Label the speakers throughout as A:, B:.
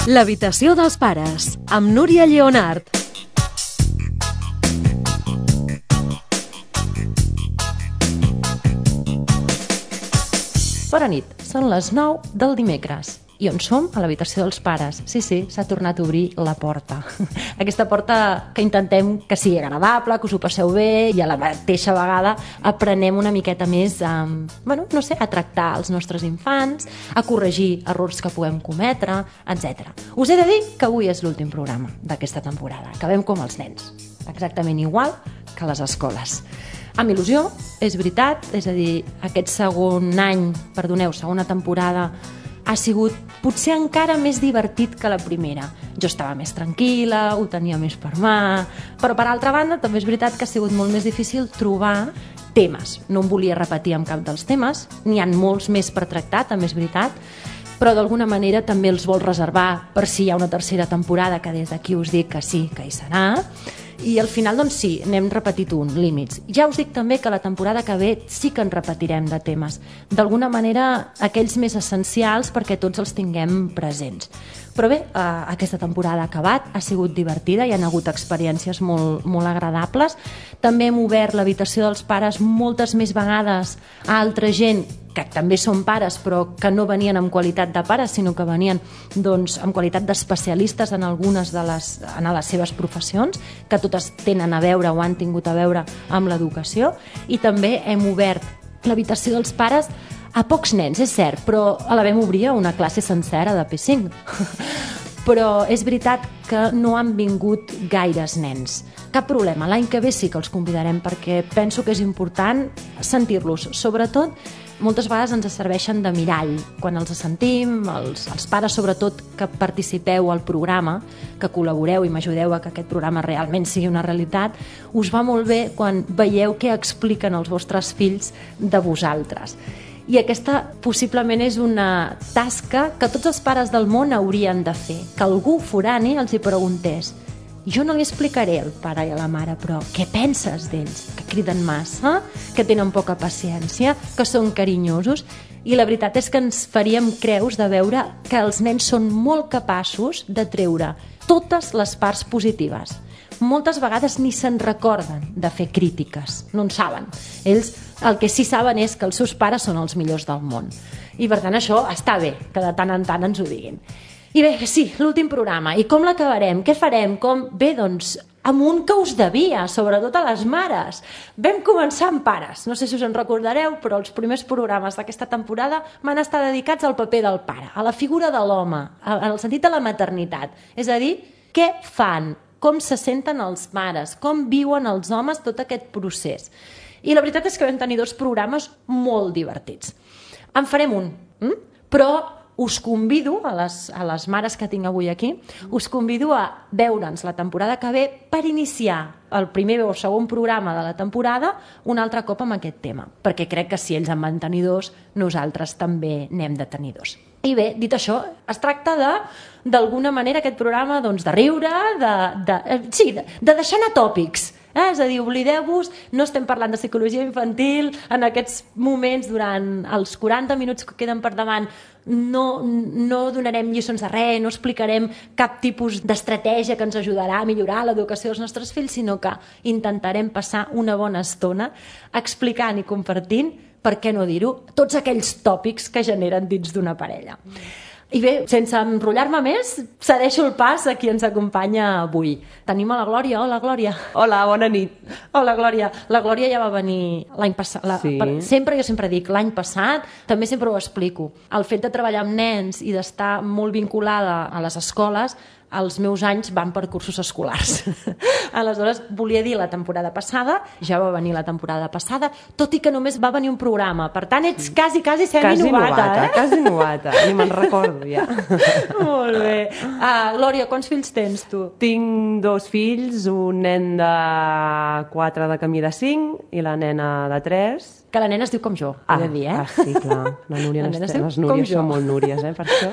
A: L'habitació dels pares, amb Núria Lleonart.
B: Bona nit, són les 9 del dimecres. I on som? A l'habitació dels pares. Sí, s'ha tornat a obrir la porta. Aquesta porta que intentem que sigui agradable, que us ho passeu bé i a la mateixa vegada aprenem una miqueta més a tractar els nostres infants, a corregir errors que puguem cometre, etc. Us he de dir que avui és l'últim programa d'aquesta temporada. Acabem com els nens, exactament igual que a les escoles. Amb il·lusió, és veritat, és a dir, aquest segona temporada ha sigut potser encara més divertit que la primera. Jo estava més tranquil·la, ho tenia més per mà, però per altra banda també és veritat que ha sigut molt més difícil trobar temes. No em volia repetir amb cap dels temes, n'hi ha molts més per tractar, també és veritat, però d'alguna manera també els vol reservar per si hi ha una tercera temporada, que des d'aquí us dic que sí, que hi serà. I al final, doncs sí, n'hem repetit límits. Ja us dic també que la temporada que ve sí que en repetirem de temes. D'alguna manera, aquells més essencials perquè tots els tinguem presents. Però bé, aquesta temporada ha acabat, ha sigut divertida, hi ha hagut experiències molt, molt agradables. També hem obert l'habitació dels pares moltes més vegades a altra gent que també són pares però que no venien en qualitat de pares sinó que venien en qualitat d'especialistes en algunes de les seves professions, que totes tenen a veure o han tingut a veure amb l'educació. I també hem obert l'habitació dels pares a pocs nens, és cert, però la vam obrir a una classe sencera de P5. Però és veritat que no han vingut gaires nens. Cap problema, l'any que ve sí que els convidarem perquè penso que és important sentir-los. Sobretot, moltes vegades ens serveixen de mirall. Quan els sentim, els pares sobretot que participeu al programa, que col·laboreu i m'ajudeu a que aquest programa realment sigui una realitat, us va molt bé quan veieu què expliquen els vostres fills de vosaltres. I aquesta possiblement és una tasca que tots els pares del món haurien de fer, que algú forani els hi preguntés: jo no li explicaré al pare i a la mare, però què penses d'ells? Que criden massa, que tenen poca paciència, que són carinyosos? I la veritat és que ens faríem creus de veure que els nens són molt capaços de treure totes les parts positives. Moltes vegades ni se'n recorden de fer crítiques, no en saben. Ells el que sí saben és que els seus pares són els millors del món. I per tant això està bé, que de tant en tant ens ho diguin. I bé, sí, l'últim programa. I com l'acabarem? Què farem? Bé, doncs, amb un que us devia, sobretot a les mares. Vam començar amb pares. No sé si us en recordareu, però els primers programes d'aquesta temporada van estar dedicats al paper del pare, a la figura de l'home, en el sentit de la maternitat. És a dir, què fan? Com se senten els mares? Com viuen els homes tot aquest procés? I la veritat és que vam tenir 2 programes molt divertits. En farem un, però us convido, a les mares que tinc avui aquí, us convido a veure'ns la temporada que ve per iniciar el primer o segon programa de la temporada un altre cop amb aquest tema, perquè crec que si ells en van tenir 2, nosaltres també n'hem de tenir 2. I bé, dit això, es tracta d'alguna manera aquest programa de riure, de deixar anar tòpics. És a dir, oblideu-vos, no estem parlant de psicologia infantil en aquests moments, durant els 40 minuts que queden per davant no donarem lliçons de res, no explicarem cap tipus d'estratègia que ens ajudarà a millorar l'educació dels nostres fills, sinó que intentarem passar una bona estona explicant i compartint, per què no dir-ho, tots aquells tòpics que generen dins d'una parella. I bé, sense enrotllar-me més, cedeixo el pas a qui ens acompanya avui. Tenim a la Glòria. Hola, Glòria.
C: Hola, bona nit.
B: Hola, Glòria. La Glòria ja va venir l'any passat.
C: Sí.
B: Jo sempre dic l'any passat, també sempre ho explico. El fet de treballar amb nens i d'estar molt vinculada a les escoles, els meus anys van per cursos escolars. Aleshores, volia dir la temporada passada, ja va venir la temporada passada, tot i que només va venir un programa. Per tant, ets quasi semi-novata.
C: Quasi novata, ni me'n recordo ja.
B: Molt bé. Glòria, quants fills tens tu?
C: Tinc 2 fills, un nen de 4 de camí de 5 i la nena de 3.
B: Que la nena es diu com jo, he de dir,
C: sí, clar. La Núria, les Núries són molt Núries, per això.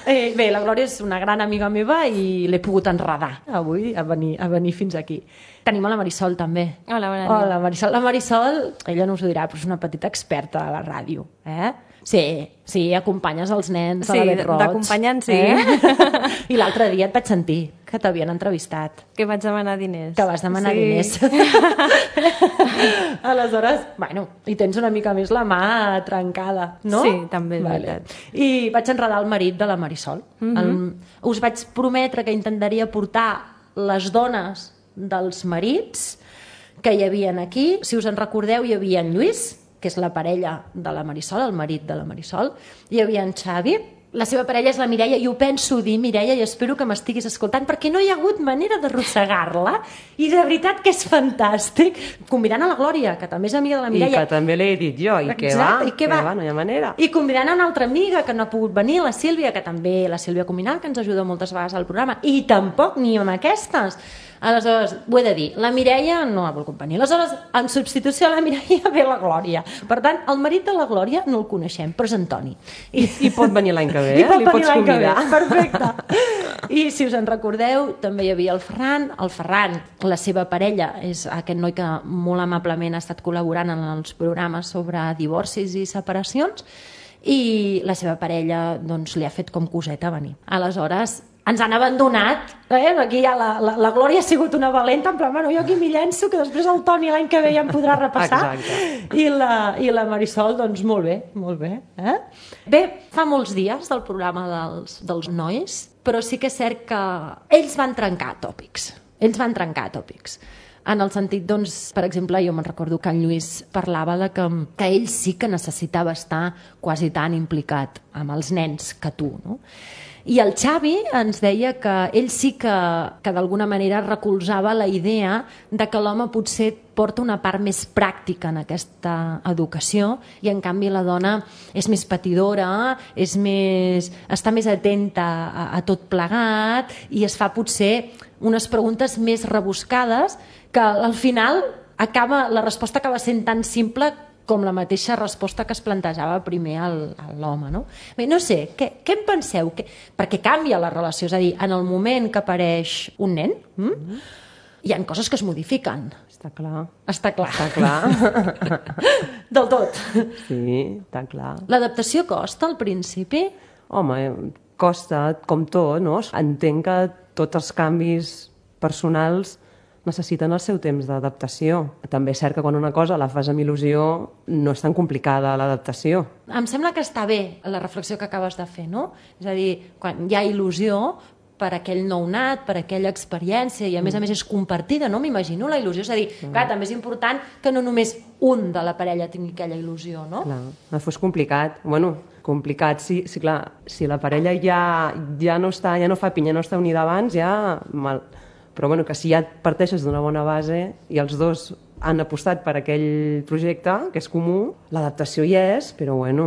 B: Bé, la Glòria és una gran amiga meva i l'he pogut enredar avui a venir fins aquí. Tenim a la Marisol, també.
D: Hola, bona nit.
B: Hola, Marisol. La Marisol, ella no us ho dirà, però és una petita experta de la ràdio. Sí, acompanyes els nens a la Bet Roig.
D: D'acompanyant, sí.
B: I l'altre dia et vaig sentir que t'havien entrevistat.
D: Que vaig demanar diners.
B: Que vas demanar diners. Aleshores, i tens una mica més la mà trencada, no?
D: Sí, també és veritat.
B: I vaig enredar el marit de la Marisol. Us vaig prometre que intentaria portar les dones dels marits que hi havia aquí. Si us en recordeu, hi havia en Lluís, que és la parella de la Marisol, el marit de la Marisol. Hi havia en Xavi, la seva parella és la Mireia, i ho penso dir, Mireia, i espero que m'estiguis escoltant, perquè no hi ha hagut manera d'arrossegar-la, i de veritat que és fantàstic. Convidant a la Glòria, que també és amiga de la Mireia.
C: I que també l'he dit jo, i que va, no hi ha manera.
B: I convidant a una altra amiga que no ha pogut venir, la Sílvia, que també, la Sílvia Cominal, que ens ajuda moltes vegades al programa, i tampoc ni amb aquestes. Aleshores, ho he de dir, la Mireia no ha volgut venir. Aleshores, en substitució a la Mireia ve la Glòria. Per tant, el marit de la Glòria no el coneixem, però és Antoni.
C: I pot venir l'any que ve,
B: li pots convidar. Perfecte. I si us en recordeu, també hi havia el Ferran. El Ferran, la seva parella, és aquest noi que molt amablement ha estat col·laborant en els programes sobre divorcis i separacions, i la seva parella doncs, li ha fet com coseta venir. Aleshores, ens han abandonat, aquí ja la Glòria ha sigut una valenta, en plan, jo aquí m'hi llenço, que després el Toni l'any que ve ja em podrà repassar.
C: Exacte.
B: I la Marisol, doncs molt bé. Bé, fa molts dies del programa dels nois, però sí que és cert que ells van trencar tòpics. En el sentit, doncs, per exemple, jo me'n recordo que en Lluís parlava de que ell sí que necessitava estar quasi tan implicat amb els nens que tu, no? I el Xavi ens deia que ell sí que d'alguna manera recolzava la idea de que l'home potser porta una part més pràctica en aquesta educació i en canvi la dona és més patidora, està més atenta a tot plegat i es fa potser unes preguntes més rebuscades que al final la resposta acaba sent tan simple com la mateixa resposta que es plantejava primer a l'home, no? Bé, no sé, què en penseu? Perquè canvia la relació, és a dir, en el moment que apareix un nen, hi ha coses que es modifiquen.
C: Està clar.
B: Està clar.
C: Està clar.
B: Del tot.
C: Sí, està clar.
B: L'adaptació costa al principi?
C: Home, costa, com tot, no? Entenc que tots els canvis personals necessiten el seu temps d'adaptació. També és cert que quan una cosa la fas amb il·lusió no és tan complicada l'adaptació.
B: Em sembla que està bé la reflexió que acabes de fer, no? És a dir, quan hi ha il·lusió per aquell nounat, per aquella experiència, i a més és compartida, no? M'imagino la il·lusió. És a dir, clar, també és important que no només un de la parella tingui aquella il·lusió, no?
C: Clar, fos complicat. Bueno, complicat, sí, clar. Si la parella ja no fa pinya, no està unida abans, ja mal. Però bueno, que si ja parteixes d'una bona base i els dos han apostat per aquell projecte, que és comú, l'adaptació hi és, però bueno,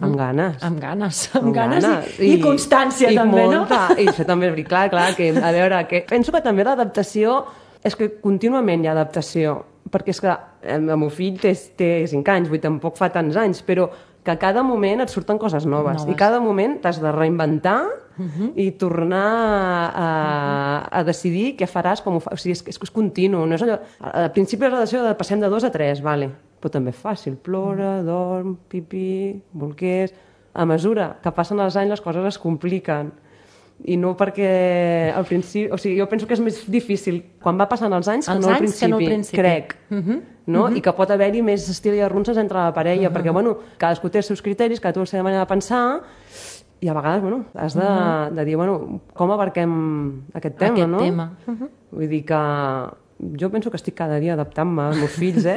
C: amb ganes.
B: Amb ganes i constància també,
C: molta, no? I això també és clar, que, a veure, penso que també l'adaptació és que contínuament hi ha adaptació, perquè és que el meu fill té 5 anys, tampoc fa tants anys, però que a cada moment et surten coses noves. I cada moment t'has de reinventar i tornar a decidir què faràs, com ho fas. O sigui, és continu. No és allò... Al principi la relació passem de 2 a 3, vale. Però també és fàcil. Plora, dorm, pipí, bolquers... A mesura que passen els anys les coses es compliquen. I no perquè al principi... O sigui, jo penso que és més difícil quan va passant els anys que no al principi. Crec. No? I que pot haver-hi més estil i arronses entre la parella, perquè, bueno, cadascú té els seus criteris, cadascú té la seva manera de pensar, i a vegades, bueno, has de dir, bueno, com abarquem aquest tema, no? Vull dir que jo penso que estic cada dia adaptant-me als meus fills,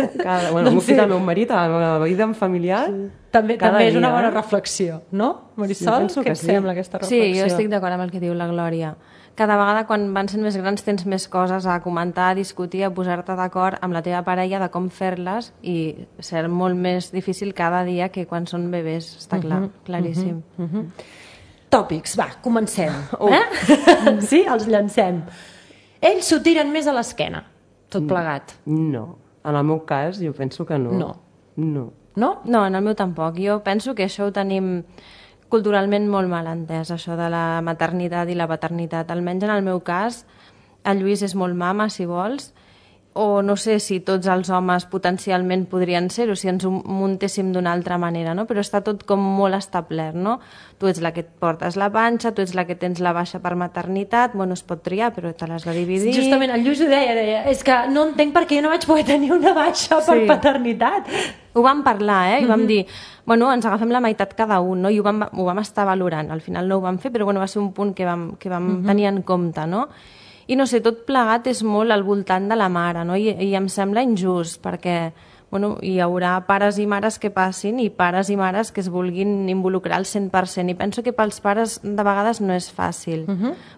C: Bueno, al meu fill, al meu marit, a la vida familiar.
B: També és una bona reflexió, no? Marisol, què et sembla aquesta reflexió?
D: Sí, jo estic d'acord amb el que diu la Glòria. Cada vegada quan van sent més grans tens més coses a comentar, a discutir, a posar-te d'acord amb la teva parella de com fer-les i ser molt més difícil cada dia que quan són bebès, està clar, claríssim.
B: Tòpics, va, comencem. Sí, els llancem. Ells s'ho tiren més a l'esquena, tot plegat.
C: No, en el meu cas jo penso que no.
B: No?
D: No, en el meu tampoc. Jo penso que això ho tenim culturalment molt mal entès, això de la maternitat i la paternitat. Almenys en el meu cas, el Lluís és molt mama, si vols, o no sé si tots els homes potencialment podrien ser-ho, si ens ho muntéssim d'una altra manera, no? Però està tot com molt establert, no? Tu ets la que et portes la panxa, tu ets la que tens la baixa per maternitat, bueno, es pot triar, però te l'has de dividir.
B: Justament, el Lluís ho deia, és que no entenc per què jo no vaig poder tenir una baixa per paternitat.
D: Ho vam parlar, I vam dir, bueno, ens agafem la meitat cada un, no? I ho vam estar valorant. Al final no ho vam fer, però bueno, va ser un punt que vam tenir en compte, no? I no sé, tot plegat és molt al voltant de la mare, no? I em sembla injust, perquè bueno, hi haurà pares i mares que passin i pares i mares que es vulguin involucrar al 100%. I penso que pels pares de vegades no és fàcil,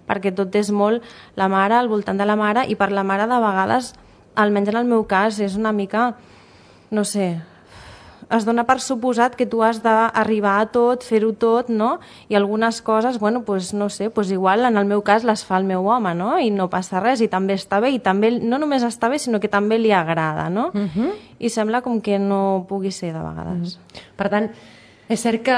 D: perquè tot és molt la mare, al voltant de la mare, i per la mare de vegades, almenys en el meu cas, és una mica, no sé, es dona per suposat que tu has d'arribar a tot, fer-ho tot, no? I algunes coses, bueno, pues, no sé, pues igual en el meu cas les fa el meu home, no? I no passa res, i també està bé, i també no només està bé, sinó que també li agrada, no? I sembla com que no pugui ser de vegades.
B: Per tant, és cert que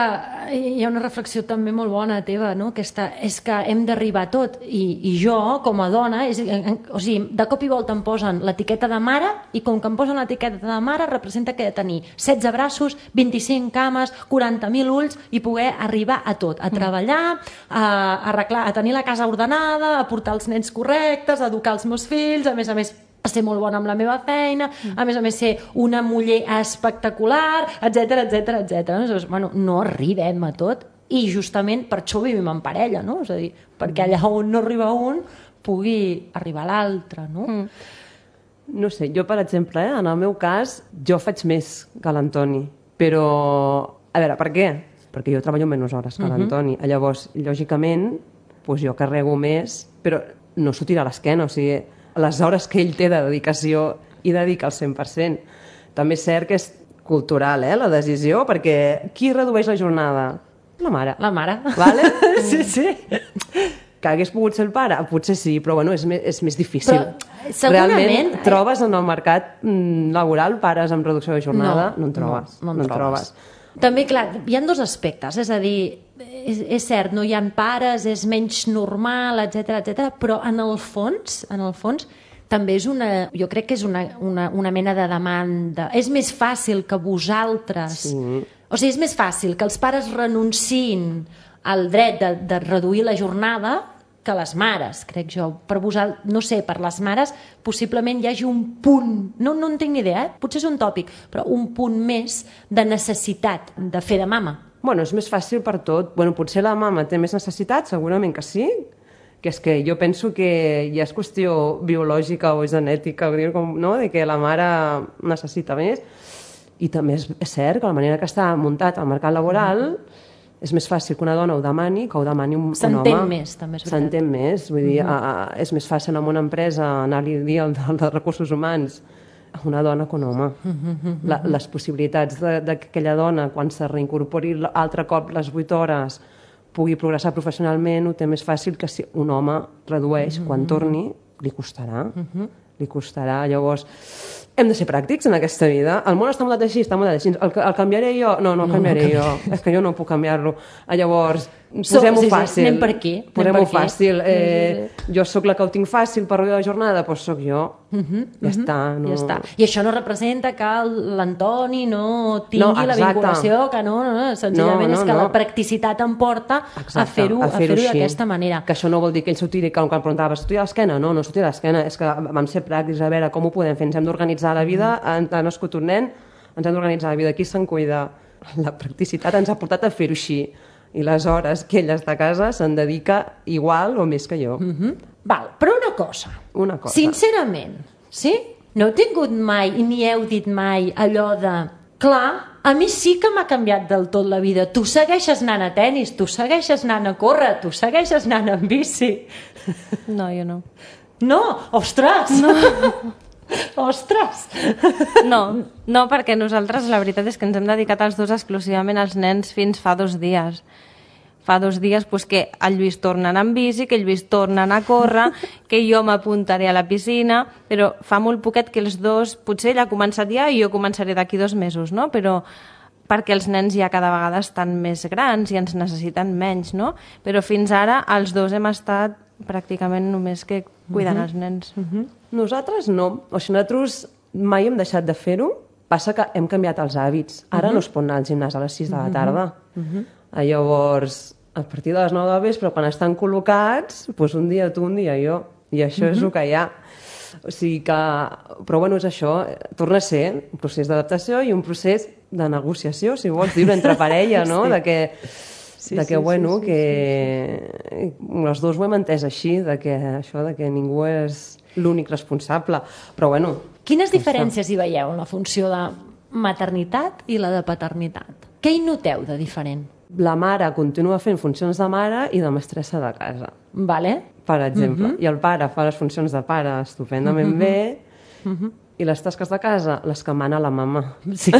B: hi ha una reflexió també molt bona teva, no? Aquesta, és que hem d'arribar a tot, i jo, com a dona, o sigui, de cop i volta em posen l'etiqueta de mare, i com que em posen l'etiqueta de mare representa que he de tenir 16 braços, 25 cames, 40.000 ulls, i poder arribar a tot, a treballar, a arreglar, a tenir la casa ordenada, a portar els nens correctes, a educar els meus fills, a més, a ser molt bona amb la meva feina, a més ser una muller espectacular, etc etc. Bueno, no arribem a tot, i justament per això vivim en parella, no? És a dir, perquè allà on no arriba un pugui arribar l'altre, no?
C: No sé, jo, per exemple, en el meu cas, jo faig més que l'Antoni, però, a veure, per què? Perquè jo treballo menys hores que l'Antoni. Llavors, lògicament, doncs jo carrego més, però no s'ho tira a l'esquena, o sigui, les hores que ell té de dedicació i dedica al 100%. També és cert que és cultural, la decisió, perquè qui redueix la jornada? La mare.
B: La mare.
C: Vale?
B: Sí.
C: Que hagués pogut ser el pare? Potser sí, però bueno, és més difícil.
B: Però, segurament...
C: Realment, trobes en el mercat laboral pares amb reducció de jornada? No en trobes.
B: No en trobes. També, clar, hi ha dos aspectes, és a dir, és cert, no hi ha pares, és menys normal, etc, però en el fons també és jo crec que és una mena de demanda. És més fàcil que vosaltres... Sí. O sigui, és més fàcil que els pares renunciïn al dret de reduir la jornada que les mares, crec jo. Per vosaltres, no sé, per les mares possiblement hi hagi un punt, no en tinc ni idea, potser és un tòpic, però un punt més de necessitat de fer de mama.
C: Bueno, és més fàcil per tot. Bueno, potser la mama té més necessitat, segurament que sí, que és que jo penso que ja és qüestió biològica o genètica, no? De que la mare necessita més. I també és cert que la manera que està muntat el mercat laboral és més fàcil que una dona ho demani que ho demani un home.
B: S'entén més, també és veritat.
C: S'entén més, vull dir, és més fàcil en una empresa anar-li a dir al de recursos humans a una dona que un home. Les possibilitats que aquella dona, quan se reincorpori altre cop les 8 hores, pugui progressar professionalment, ho té més fàcil que si un home redueix, quan torni, li costarà. Li costarà. Llavors, hem de ser pràctics en aquesta vida. El món està muntat així, està muntat així. El canviaré jo? No, el canviaré jo. És que jo no puc canviar-lo. Llavors, posem-ho fàcil.
B: Anem per aquí.
C: Posem-ho fàcil. Jo sóc la que ho tinc fàcil per reduir la jornada, doncs sóc jo. Ja està.
B: Ja està. I això no representa que l'Antoni no tingui la vinculació, que no, senzillament és que la practicitat em porta a fer-ho d'aquesta manera.
C: Que això no vol dir que ell s'ho tiri, quan preguntaves, s'ho tira a l'esquena? No s'ho tira a l'esquena. És que vam ser pràctics, a veure com ho podem fer. Ens hem d'organitzar la vida, ha nascut un nen, ens hem d'organitzar la vida. Qui se'n cuida? La practicitat ens ha portat a fer-ho així. I les hores que ell està a casa se'n dedica igual o més que jo.
B: Val, però una cosa. Sincerament, sí? No heu tingut mai, ni heu dit mai allò de... Clar, a mi sí que m'ha canviat del tot la vida. Tu segueixes anant a tennis, tu segueixes anant a córrer, tu segueixes anant en bici.
D: No, jo no.
B: No? Ostres! No. Ostres!
D: No, perquè nosaltres la veritat és que ens hem dedicat els dos exclusivament als nens fins fa 2 dies. Fa 2 dies pues, que el Lluís torna a anar amb bici, que el Lluís torna a anar a córrer, que jo m'apuntaré a la piscina, però fa molt poquet que els dos, potser ell ha començat ja i jo començaré d'aquí 2 mesos, no? Però perquè els nens ja cada vegada estan més grans i ens necessiten menys, no? Però fins ara els dos hem estat pràcticament només que cuidant els nens.
C: Nosaltres no. O sigui, nosaltres mai hem deixat de fer-ho. Passa que hem canviat els hàbits. Ara no es pot anar al gimnàs a les 6 de la tarda. Llavors, a partir de les 9 del vespre, quan estan col·locats, doncs un dia tu, un dia jo. I això és el que hi ha. O sigui que... Però bueno, és això. Torna a ser un procés d'adaptació i un procés de negociació, si vols dir-ho, entre parella, no? De que... bueno, que els dos ho hem entès així, de que això, de que ningú és l'únic responsable. Però bueno...
B: Quines diferències hi veieu en la funció de maternitat i la de paternitat? Què hi noteu de diferent?
C: La mare continua fent funcions de mare i de mestressa de casa,
B: Vale?
C: per exemple. I el pare fa les funcions de pare estupendament bé i les tasques de casa les que mana la mama.
B: Sí.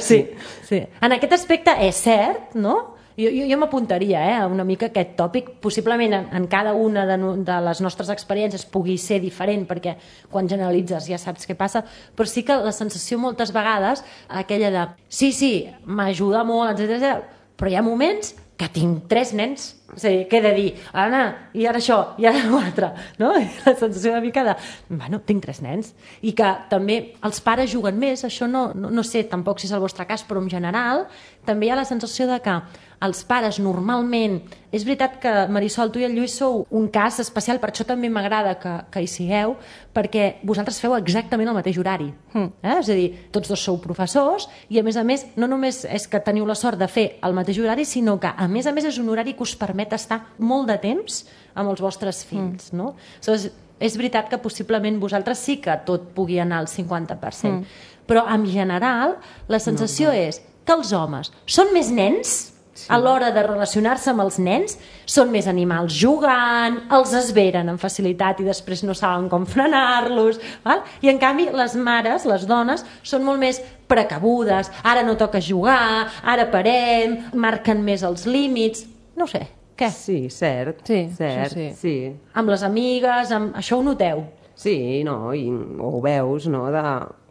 B: Sí. En aquest aspecte és cert, no? Jo m'apuntaria una mica a aquest tòpic. Possiblement en cada una de les nostres experiències pugui ser diferent, perquè quan generalitzes ja saps què passa, però sí que la sensació moltes vegades, aquella de sí, m'ajuda molt, etc. Però hi ha moments que tinc 3 nens. És a dir, què he de dir? Ara, i ara això, i ara l'altre. No? I la sensació una mica de... Bueno, tinc 3 nens. I que també els pares juguen més. Això no sé tampoc si és el vostre cas, però en general també hi ha la sensació de que els pares normalment... És veritat que, Marisol, tu i el Lluís sou un cas especial, per això també m'agrada que hi sigueu, perquè vosaltres feu exactament el mateix horari. És a dir, tots dos sou professors i, a més, no només és que teniu la sort de fer el mateix horari, sinó que, a més, és un horari que us permet estar molt de temps amb els vostres fills. No? Aleshores, és veritat que possiblement vosaltres sí que tot pugui anar al 50%, però en general la sensació és que els homes són més nens a l'hora de relacionar-se amb els nens, són més animals jugant, els esveren amb facilitat i després no saben com frenar-los, val? I en canvi les mares, les dones, són molt més precabudes, ara no toca jugar, ara parem, marquen més els límits, no ho sé, què?
C: Sí, cert.
D: Sí,
C: cert, sí.
B: Amb les amigues, això ho noteu?
C: Sí, no, i ho veus, no, de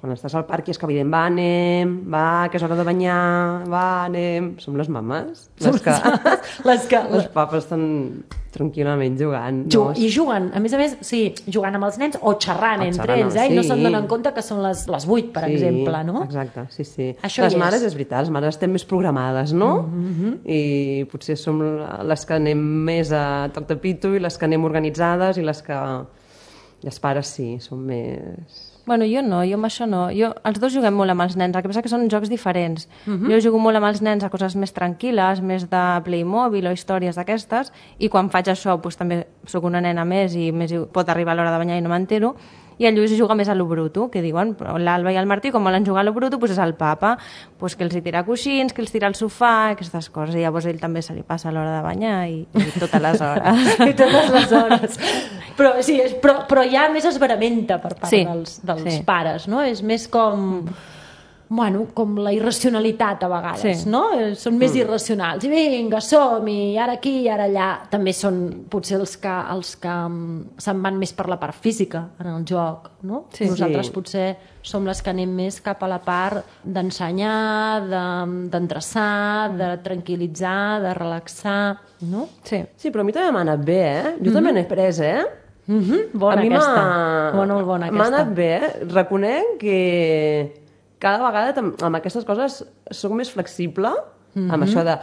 C: quan estàs al parc i és que evident, va, que és hora de banyar, anem... Som les mames, les que els papes estan tranquil·lament jugant. No?
B: I juguen, a més, sí, jugant amb els nens o xerrant entre ells, i no se'n donen compte que són les 8, per exemple, no?
C: Exacte, sí.
B: Això
C: les mares, és veritat, les mares estem més programades, no? I potser som les que anem més a toc de pito i les que anem organitzades i les que... I els pares sí, són més...
D: Bueno, jo no, jo amb això no. Els dos juguem molt amb els nens, el que passa que són jocs diferents. Jo jugo molt amb els nens a coses més tranquil·les, més de Playmobil o històries d'aquestes, i quan faig això doncs, també sóc una nena més i més pot arribar a l'hora de banyar i no m'entero. I el Lluís juga més a lo bruto, que diuen, l'Alba i el Martí, com volen jugar a lo bruto, doncs és el papa, doncs que els hi tira coixins, que els tira al sofà, aquestes coses. I llavors ell també se li passa a l'hora de banyar i totes les hores.
B: I totes les hores. Però ja més esveramenta per part dels pares, no? És més com... Bueno, com la irracionalitat a vegades, no? Són més irracionals. I vinga, som-hi, ara aquí i ara allà. També són potser els que se'n van més per la part física en el joc, no? Nosaltres potser som les que anem més cap a la part d'ensenyar, d'endreçar, de tranquil·litzar, de relaxar, no?
C: Sí, però a mi també m'ha anat bé, Jo també n'he pres,
B: Bona aquesta. Bona aquesta.
C: M'ha anat bé, Reconec que... cada vegada amb aquestes coses soc més flexible amb això de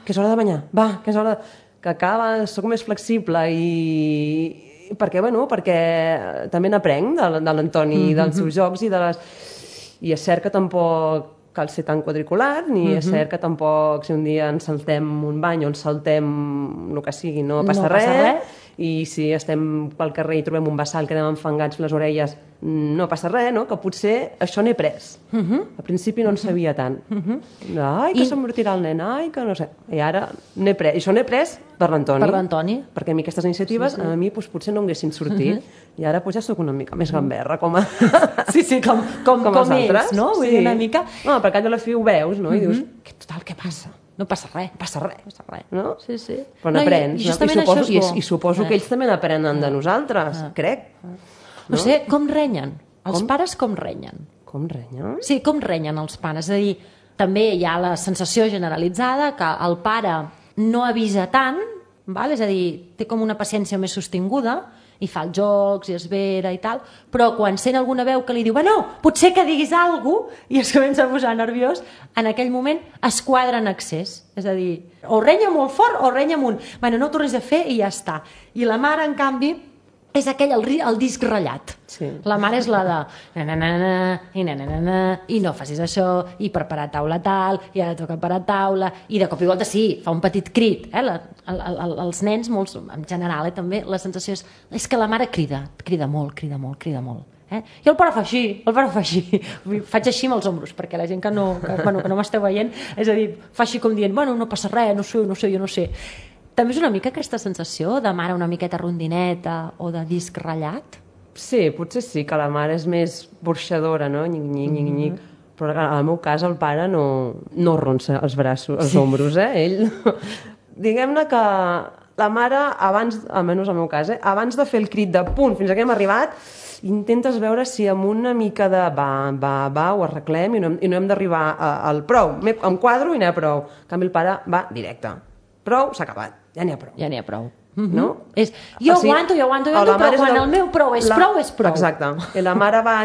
C: que és hora de banyar, que és hora de... que cada vegada soc més flexible i perquè també n'aprenc de l'Antoni i dels seus jocs i és cert que tampoc cal ser tan quadricular, ni és cert que tampoc si un dia ens saltem un bany o ens saltem el que sigui, no passa res. I si estem pel carrer i trobem un bassal que anem enfangats les orelles, no passa res, no? Que potser això n'he pres. Al principi no en sabia tant. Ai, que s'embortirà el nen, ai, que no sé. I ara n'he pres. I això n'he pres per l'Antoni. Perquè a mi aquestes iniciatives a mi potser no haguessin sortit. I ara ja soc una mica més gamberra, com
B: els altres, no? Vull dir, una mica...
C: No, perquè allò a la fi ho veus, no? I dius, total, què passa?
B: No passa res.
C: No?
B: Sí.
C: Però n'aprens. I suposo que ells també n'aprenen de nosaltres, crec.
B: No sé, com renyen? Els pares com renyen?
C: Com renyen?
B: Sí, com renyen els pares? És a dir, També hi ha la sensació generalitzada que el pare no avisa tant, val? És a dir, té com una paciència més sostinguda i fa els jocs i es vera i tal, però quan sent alguna veu que li diu bueno, potser que diguis alguna cosa, i es comença a posar nerviós, en aquell moment es quadra en excés. És a dir, o renya molt fort o renya amunt. Bueno, no ho tornis a fer i ja està. I la mare, en canvi, és aquell, el disc ratllat.
C: Sí.
B: La mare és la de i no facis això, i preparar taula tal, i ara toca preparar taula, i de cop i volta sí, fa un petit crit. Els nens, molts, en general, també, la sensació és que la mare crida molt. I el pare fa així, faig així amb els ombros, perquè la gent que no m'esteu veient, és a dir, fa així com dient, bueno, no passa res, no sé. També és una mica aquesta sensació de mare una miqueta rondineta o de disc ratllat?
C: Sí, potser sí, que la mare és més burxadora, no? Nyic. Però en el meu cas el pare no ronsa els braços, els ombros, Ell... Diguem-ne que la mare, abans, almenys al meu cas, abans de fer el crit de punt, fins aquí hem arribat, intentes veure si amb una mica de va, ho arreglem i no hem d'arribar al prou. Em quadro i n'hi ha prou. En canvi, el pare va directe. Prou, s'ha acabat. Ja n'hi ha prou. No?
B: Jo aguanto, però quan el meu prou és prou.
C: Exacte. I la mare va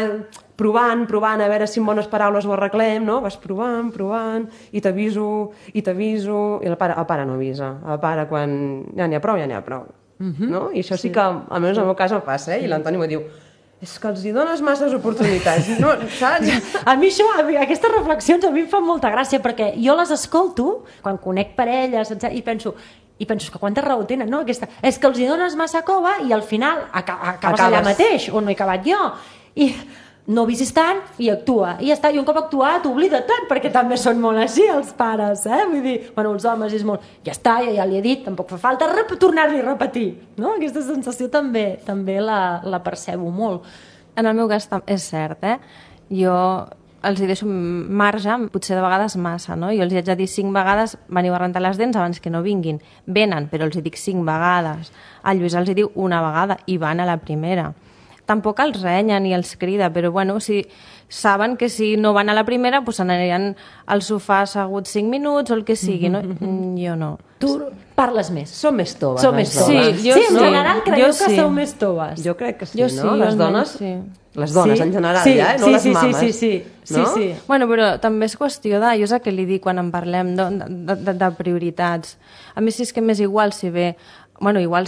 C: provant, a veure si amb bones paraules ho arreglem, no? Vas provant, i t'aviso, i el pare no avisa. El pare, quan ja n'hi ha prou. No? I això sí que, almenys en el meu cas, em passa, I l'Antoni m'ho diu, és que els hi dones masses oportunitats, no, saps?
B: A mi aquestes reflexions a mi em fan molta gràcia, perquè jo les escolto quan conec parelles, i penso que quanta raó tenen, no? És que els hi dones massa cova i al final acabes allà mateix, on no he acabat jo. I no visis tant i actua. I ja està, i un cop actuat, oblida tant, perquè també són molt així els pares, Vull dir, els homes és molt... Ja està, ja li he dit, tampoc fa falta tornar-li a repetir, no? Aquesta sensació també la percebo molt.
D: En el meu cas és cert, Jo els hi deixo marge, potser de vegades massa, no? Jo els hi haig de dir 5 vegades veniu a rentar les dents abans que no vinguin. Venen, però els hi dic 5 vegades. El Lluís els hi diu una vegada i van a la primera. Tampoc els renya ni els crida, però si saben que si no van a la primera doncs aniran al sofà asseguts 5 minuts o el que sigui, no? Jo no.
B: Tu parles més.
C: Som més toves.
B: Sí, en general creieu que sou més toves.
C: Jo crec que sí, no? Les dones... Les dones, en general, no les mames.
B: Sí.
D: Bueno, però també és qüestió de... Jo és el que li dic quan en parlem de prioritats. A mi sí és que m'és igual si ve... Bueno, igual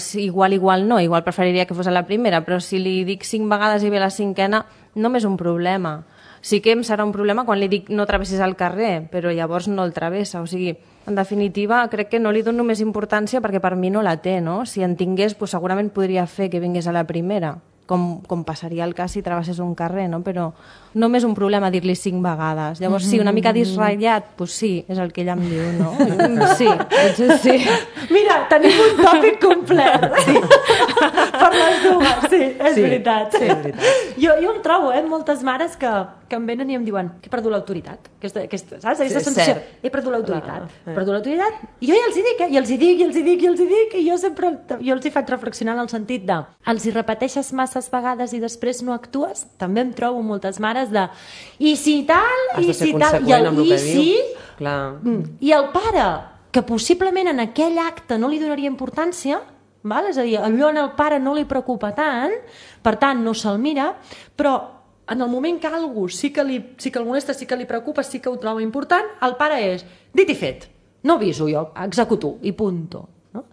D: no, igual preferiria que fos a la primera, però si li dic 5 vegades i ve la 5a, no m'és un problema. Sí que em serà un problema quan li dic no travessis al carrer, però llavors no el travessa. O sigui, en definitiva, crec que no li dono més importància perquè per mi no la té, no? Si en tingués, doncs segurament podria fer que vingués a la primera, com passaria el cas si travessés un carrer, no? Però no m'és un problema dir-li 5 vegades. Llavors, sí, una mica disratllat, doncs sí, és el que ella em diu, no? Sí, potser sí.
B: Mira, tenim un tòpic complet. Sí. Per les dues, sí, és veritat.
C: Sí, és veritat.
B: Jo em trobo, moltes mares que em venen i em diuen que he perdut l'autoritat. Saps? Aquesta sensació. He perdut l'autoritat. I jo ja els hi dic, i els hi dic, i jo els hi faig reflexionar en el sentit de els hi repeteixes masses vegades i després no actues? També em trobo moltes mares de i si tal, i si tal, i si... I el pare, que possiblement en aquell acte no li donaria importància, és a dir, allò en el pare no li preocupa tant, per tant no se'l mira, però en el moment que algú sí que el molesta, sí que li preocupa, sí que ho troba important, el pare és dit i fet, no aviso jo, executo i punto. No?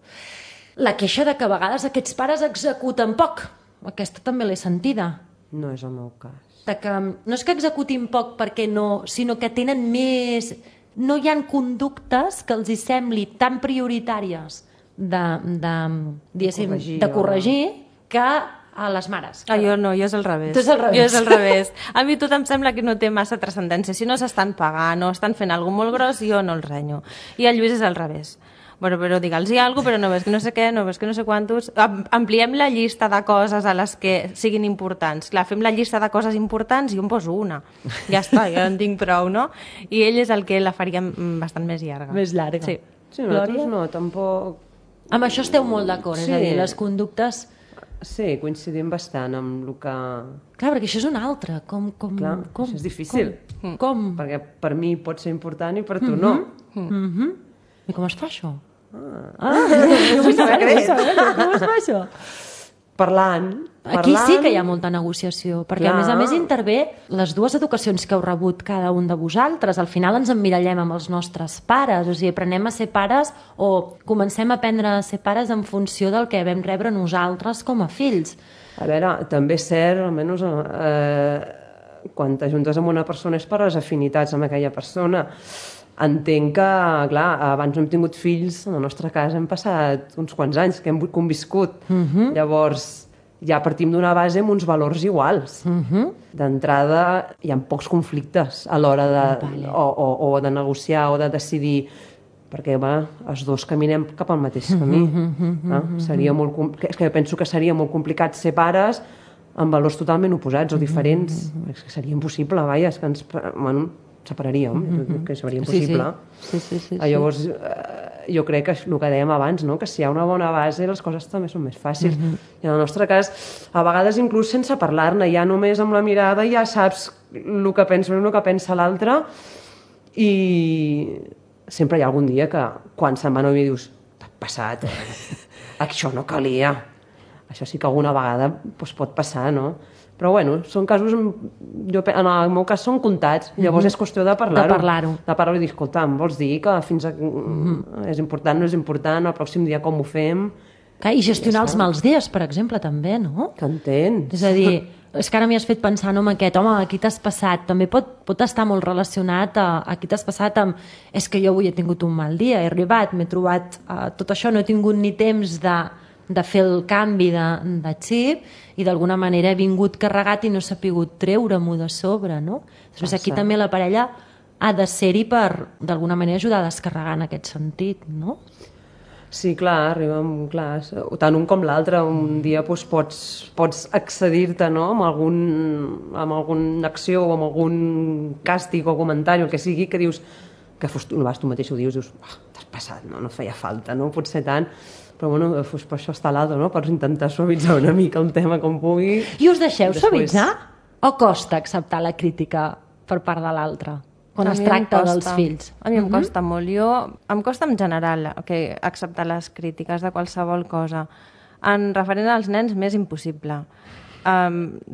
B: La queixa de que a vegades aquests pares executen poc, aquesta també l'he sentida.
C: No és el meu cas.
B: No és que executin poc perquè no, sinó que tenen més... No hi ha conductes que els hi sembli tan prioritàries de corregir que a les mares.
D: Jo no, jo és al revés.
B: Tu és al revés.
D: Jo és al revés. A mi tot em sembla que no té massa transcendència. Si no s'estan pagant o estan fent alguna molt gros, jo no el renyo. I el Lluís és al revés. Bueno, però digue'ls-hi alguna cosa, però no ves que no sé què, no ves que no sé quantos... Ampliem la llista de coses a les que siguin importants. Clar, fem la llista de coses importants i jo em poso una. Ja està, ja en tinc prou, no? I ell és el que la faria bastant més llarga.
B: Més llarga.
C: Sí, nosaltres no, tampoc...
B: Amb això esteu molt d'acord, és a dir, les conductes
C: Sí, coincidim bastant amb el que...
B: Clar, perquè això és un altre. Com?
C: Això és difícil.
B: Com?
C: Perquè per mi pot ser important i per tu no.
B: I com es fa això?
C: Com es
B: fa això?
C: Parlant.
B: Aquí sí que hi ha molta negociació, perquè a més intervé les dues educacions que heu rebut cada un de vosaltres. Al final ens emmirallem amb els nostres pares, o sigui, aprenem a ser pares o comencem a aprendre a ser pares en funció del que vam rebre nosaltres com a fills.
C: A veure, també és cert, almenys quan t'ajuntes amb una persona és per les afinitats amb aquella persona. Entenc que, clar, abans no hem tingut fills, en la nostra casa hem passat uns quants anys que hem conviscut. Llavors, ja partim d'una base amb uns valors iguals. D'entrada, hi ha pocs conflictes a l'hora de, o de negociar o de decidir, perquè els dos caminem cap al mateix camí. Seria molt, és que penso que seria molt complicat ser pares amb valors totalment oposats o diferents. És que seria impossible, vaja, és que ens separaríem, que seria impossible.
B: Sí.
C: Llavors, jo crec que el que dèiem abans, no? Que si hi ha una bona base les coses també són més fàcils. I en el nostre cas, a vegades inclús sense parlar-ne, ja només amb la mirada ja saps el que pensa l'un, el que pensa l'altre, i sempre hi ha algun dia que quan se'n va novia dius t'has passat, això no calia. Això sí que alguna vegada pot passar, no? Però bueno, són casos, en el meu cas són comptats, llavors és qüestió de parlar-ho. De parlar-ho i dir, escolta, em vols dir que fins a... és important, no és important, el pròxim dia com ho fem...
B: I gestionar els mals dies, per exemple, també, no?
C: T'entens?
B: És a dir, és que ara m'hi has fet pensar amb aquest, home, aquí t'has passat, també pot estar molt relacionat a aquí t'has passat amb, és que jo avui he tingut un mal dia, he arribat, m'he trobat tot això, no he tingut ni temps de fer el canvi de xip i d'alguna manera he vingut carregat i no he sapigut treure-m'ho de sobre, no? Després aquí també la parella ha de ser-hi per, d'alguna manera, ajudar a descarregar en aquest sentit, no?
C: Sí, clar, arribem, clar, tant un com l'altre, un dia pots accedir-te, no?, amb alguna acció o amb algun càstig o comentari, el que sigui, que dius, que tu mateix ho dius, t'has passat, no feia falta, no pot ser tant, però bueno, per això està l'altre, no?, per intentar suavitzar una mica el tema com pugui.
B: I us deixeu suavitzar? O costa acceptar la crítica per part de l'altre? Quan es tracta dels fills.
D: A mi em costa molt. Em costa en general acceptar les crítiques de qualsevol cosa. En referent als nens, més impossible.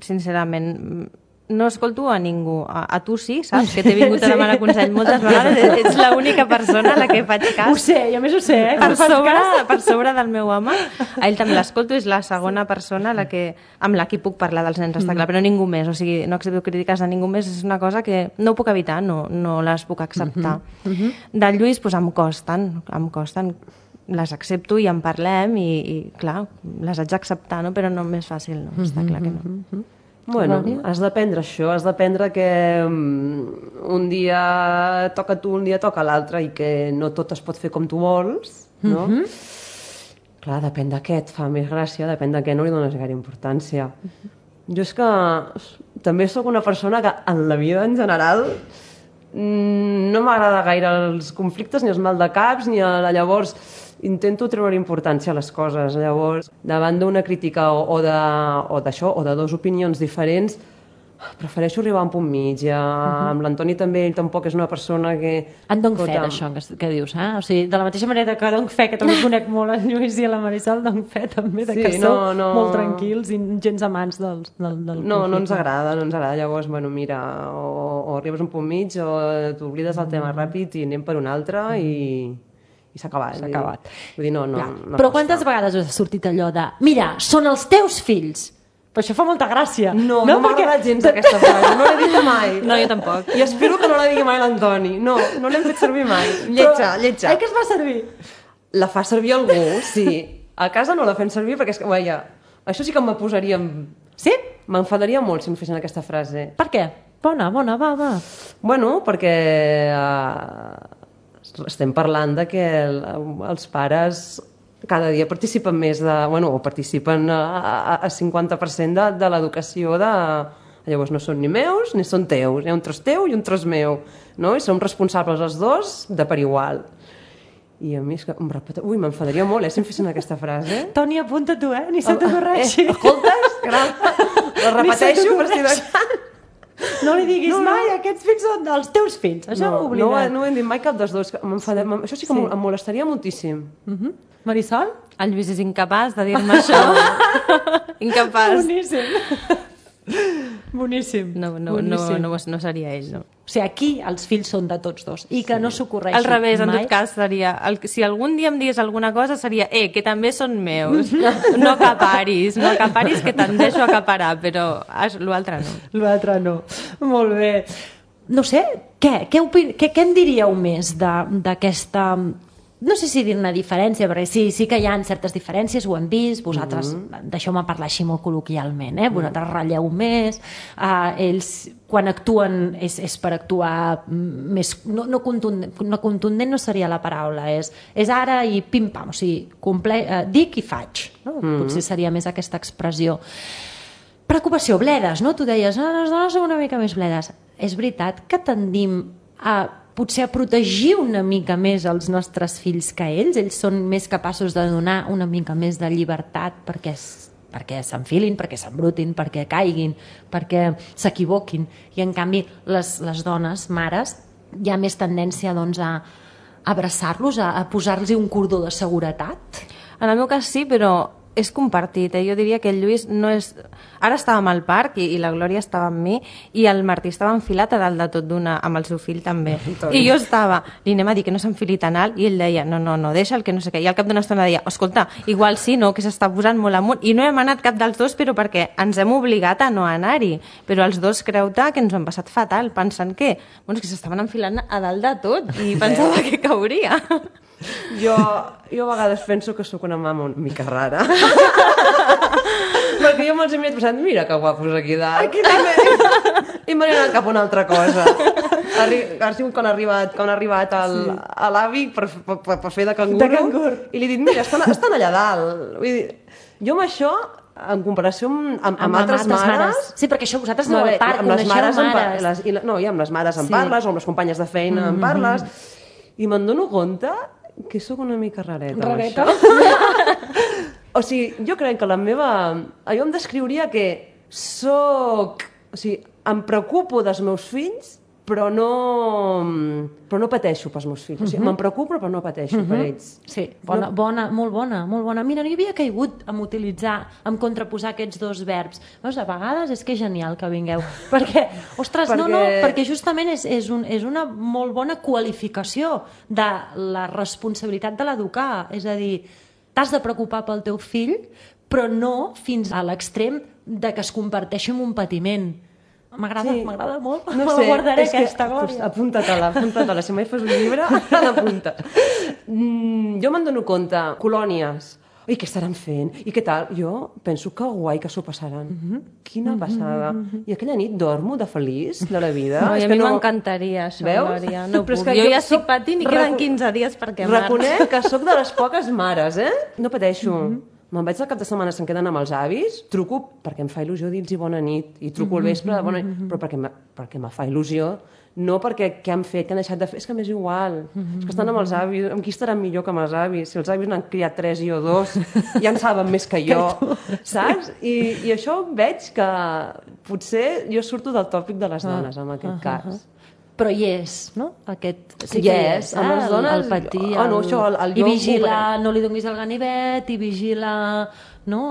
D: Sincerament, no escolto a ningú. A tu sí, saps? Que t'he vingut a demanar consell moltes vegades. Ets l'única persona a la que faig cas.
B: Ho sé, i a més ho sé.
D: Per sobre del meu home. A ell també l'escolto, és la segona persona amb la que puc parlar dels nens, està clar, però ningú més. O sigui, no accepto crítiques de ningú més, és una cosa que no ho puc evitar, no les puc acceptar. Del Lluís, doncs em costen. Les accepto i en parlem i clar, les haig d'acceptar, no? Però no m'és fàcil, no? Està clar que no.
C: Bueno, has d'aprendre això, has d'aprendre que un dia toca tu, un dia toca l'altre i que no tot es pot fer com tu vols, no? Clar, depèn de què et fa més gràcia, depèn de què no li dones gaire importància. Jo és que també sóc una persona que en la vida en general no m'agrada gaire els conflictes, ni els maldecaps, ni llavors intento treure importància a les coses. Llavors, davant d'una crítica o d'això, o de dues opinions diferents, prefereixo arribar a un punt mig. Amb l'Antoni també, ell tampoc és una persona que...
B: En dono fe d'això que dius, eh? O sigui, de la mateixa manera que dono fe, que també conec molt en Lluís i a la Marisol, dono fe també que sou molt tranquils i gens amants del conflicte.
C: No ens agrada. Llavors, bueno, mira, o arribes a un punt mig o t'oblides del tema ràpid i anem per un altre i s'ha acabat. Vull dir, no.
B: Però quantes vegades us ha sortit allò de mira, són els teus fills? Però això fa molta gràcia.
C: No m'ha agradat gens aquesta frase, no l'he dit mai.
D: No, jo tampoc.
C: I espero que no la digui mai l'Antoni. No l'hem fet servir mai. Lletja.
B: Què es fa servir?
C: La fa servir algú, sí. A casa no la fem servir perquè, vaja, això sí que me posaria...
B: Sí?
C: M'enfadaria molt si em fessin aquesta frase.
B: Per què? Bona, va.
C: Bueno, perquè estem parlant de que els pares cada dia participen més o participen a 50% de l'educació de... Llavors no són ni meus ni són teus, hi ha un tros teu i un tros meu, no? I som responsables els dos de per igual. I a mi és que m'enfadaria molt, si em fessin aquesta frase.
B: Toni, apunta tu, ni se t'ocorreixi.
C: Escoltes? La repeteixo per si de cas.
B: No li diguis mai, aquests fills són dels teus fills. Això ho oblidat.
C: No ho hem dit mai cap dels dos. Això sí que em molestaria moltíssim.
B: Marisol?
D: El Lluís és incapaç de dir-me això. Incapaç.
B: Boníssim.
D: No seria ell, no.
B: O sigui, aquí els fills són de tots dos i que no s'ocorreixi
D: Al revés, en
B: mai.
D: tot cas, seria... Si algun dia em digués alguna cosa, seria que també són meus. No acaparis, que tendeixo a acaparar, però l'altre no.
B: L'altre no. Molt bé. No sé, què en diríeu més d'aquesta... No sé si dir-ne diferència, perquè sí que hi ha certes diferències, ho hem vist, vosaltres, deixeu-me parlar així molt col·loquialment, vosaltres ratlleu més, ells quan actuen és per actuar més... No contundent no seria la paraula, és ara i pim-pam, o sigui, dic i faig, no? Potser seria més aquesta expressió. Preocupació, bledes, no? Tu deies, les dones són una mica més bledes. És veritat que tendim a potser a protegir una mica més els nostres fills que ells són més capaços de donar una mica més de llibertat perquè s'enfilin, perquè s'embrutin, perquè caiguin, perquè s'equivoquin, i en canvi les dones, mares, hi ha més tendència doncs, a abraçar-los, a posar-los un cordó de seguretat?
D: En el meu cas sí, però és compartit. Jo diria que el Lluís no és... Ara estàvem al parc i la Glòria estava amb mi i el Martí estava enfilat a dalt de tot amb el seu fill també. I jo li anem a dir que no s'enfili tan alt i ell deia, no, deixa'l, que no sé què. I al cap d'una estona deia, escolta, igual sí, no, que s'està posant molt amunt. I no hem anat cap dels dos, però perquè ens hem obligat a no anar-hi. Però els dos creu-te que ens ho hem passat fatal, pensant que s'estaven enfilant a dalt de tot i pensava que cauria.
C: Jo a vegades penso que sóc una mama una mica rara. Perquè jo me'ls he mirat pensant, mira que guapos aquí dalt. I m'he anat cap a una altra cosa. Ha sigut quan ha arribat l'avi per fer de cangur. I li he dit, mira, estan allà dalt. Vull dir, jo amb això, en comparació amb altres mares...
B: Sí, perquè això vosaltres aneu al parc, coneixeu mares.
C: No, i amb les mares en parles, o amb les companyes de feina en parles, i me'n dono compte que sóc una mica rareta.
B: Rareta?
C: O sigui, jo crec que jo em descriuria que soc... O sigui, em preocupo dels meus fills, però no pateixo pels meus fills. O sigui, me'n preocupo, però no pateixo per ells.
B: Sí, molt bona. Mira, no hi havia caigut en contraposar aquests dos verbs. Veus, a vegades és que és genial que vingueu. Perquè, ostres, perquè justament és una molt bona qualificació de la responsabilitat de l'educar. És a dir, t'has de preocupar pel teu fill, però no fins a l'extrem de que es converteixi en un patiment. M'agrada molt. No sé, guardaré aquesta, Glòria.
C: Apunta-te-la. Si mai fas un llibre, l'apunta. Jo me'n dono compte, colònies, i què estaran fent? I què tal? Jo penso que guai que s'ho passaran. Quina passada. I aquella nit dormo de feliç de la vida.
D: No, i a mi m'encantaria això, Glòria. No puc. Jo ja estic patint i queden 15 dies perquè
C: reconec que sóc de les poques mares, No pateixo. Me'n vaig al cap de setmana, se'm queden amb els avis, truco perquè em fa il·lusió dir-los bona nit, i truco al vespre de bona nit, però perquè me fa il·lusió, no perquè què han fet, què han deixat de fer, és que m'és igual, és que estan amb els avis, amb qui estaran millor que amb els avis? Si els avis n'han criat 3 i jo 2, ja en saben més que jo, saps? I això veig que potser jo surto del tòpic de les dones, en aquest cas.
B: Però hi és, no? Aquest
C: sí que hi és, amb les dones,
B: el patir,
C: i
B: vigila, no li donis el ganivet, i vigila, no?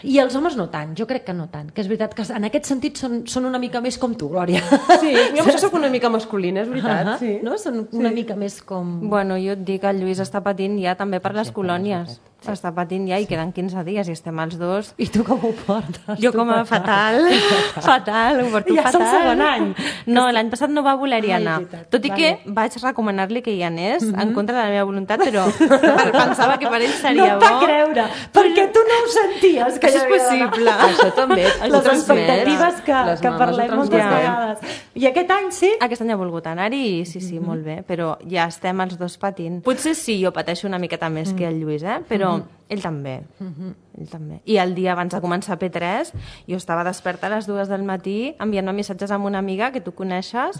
B: I els homes no tant, jo crec que no tant, que és veritat que en aquest sentit són una mica més com tu, Glòria.
C: Sí, jo soc una mica masculina, és veritat, sí.
B: No? Són una mica més com...
D: Bueno, jo et dic, el Lluís està patint ja també per les colònies. Està patint ja i queden 15 dies i estem els dos.
B: I tu com ho portes?
D: Jo com a fatal, ho porto fatal.
B: Ja és el segon any.
D: No, l'any passat no va voler-hi anar. Tot i que vaig recomanar-li que hi anés en contra de la meva voluntat, però pensava que per ell seria bo.
B: No et va creure, perquè tu no ho senties que
D: això és possible.
C: Això també.
B: Les expectatives que parlem moltes vegades. I aquest any sí?
D: Aquest any ha volgut anar-hi i sí, molt bé, però ja estem els dos patint. Potser sí, jo pateixo una miqueta més que el Lluís, però ell també. Ell també. I el dia abans de començar P3 jo estava desperta a les 2 del matí enviant-me missatges amb una amiga que tu coneixes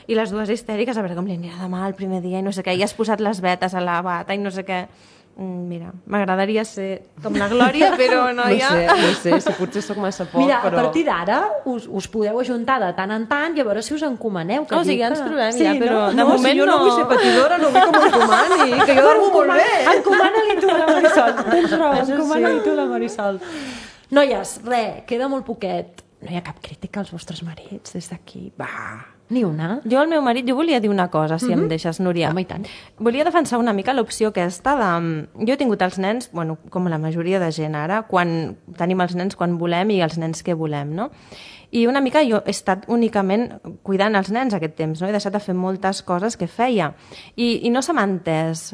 D: i les dues histèriques, a veure com li anirà demà el primer dia i no sé què, i has posat les vetes a la bata i no sé què. Mira, m'agradaria ser com la Glòria, però noia...
C: No sé, si potser sóc massa poc,
B: Mira,
C: però...
B: a partir d'ara us podeu ajuntar de tant en tant i a veure si us encomaneu.
D: O sigui, ens trobem ja, però de
C: no,
D: moment
C: si jo no vull ser patidora, no vull que m'encomani, que jo dormo molt bé.
B: Encomana-li tu a la Marisol. Tens raó, encomana-li tu a la Marisol. Noies, queda molt poquet. No hi ha cap crítica als vostres marits des d'aquí. Va, ni una.
D: Jo al meu marit, jo volia dir una cosa, si em deixes, Núria.
B: Home, i tant.
D: Volia defensar una mica l'opció aquesta de... Jo he tingut els nens, bueno, com la majoria de gent ara, quan tenim els nens quan volem i els nens que volem, no? I una mica jo he estat únicament cuidant els nens aquest temps, no? He deixat de fer moltes coses que feia. I no se m'ha entès,